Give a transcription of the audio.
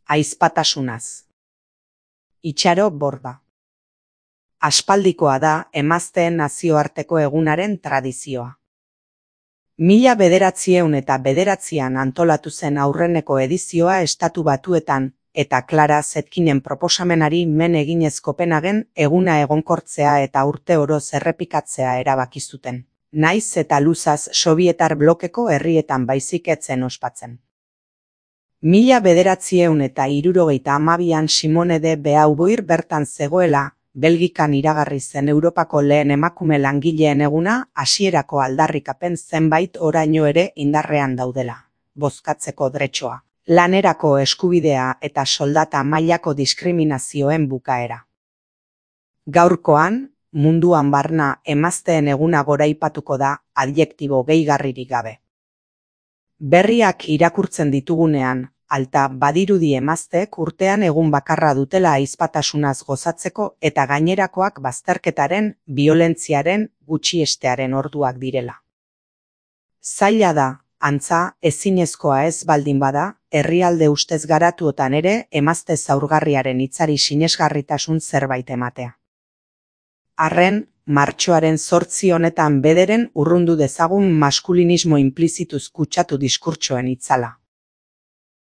Ahizpatasunaz. Itxaro Borda. Aspaldikoa da emazteen nazioarteko egunaren tradizioa. 1909an antolatu zen aurreneko edizioa Estatu Batuetan, eta Clara Zetkinen proposamenari men eginez Kopenhagen eguna egonkortzea eta urte oroz errepikatzea erabaki zuten. Naiz eta luzaz Sobietar blokeko herrietan baizik ez zen ospatzen. 1972an Simone de Beauvoir bertan zegoela, Belgikan iragarri zen Europako lehen emakume langileen eguna hasierako aldarrikapen zenbait oraino ere indarrean daudela. Bozkatzeko dretxoa, lanerako eskubidea eta soldata mailako diskriminazioen bukaera. Gaurkoan, munduan barna emazteen eguna goraipatuko da adjektibo gehigarririk gabe. Berriak irakurtzen ditugunean, alta badirudi emazteek urtean egun bakarra dutela ahizpatasunaz gozatzeko eta gainerakoak bazterketaren, biolentziaren, gutxiestearen orduak direla. Zaila da, antza, ezinezkoa ez baldin bada, herrialde ustez garatuotan ere emazte zaurgarriaren hitzari sinesgarritasun zerbait ematea. Arren, martxoaren 8 honetan bederen urrundu dezagun maskulinismo inplizituz kutsatu diskurtsoen itzala.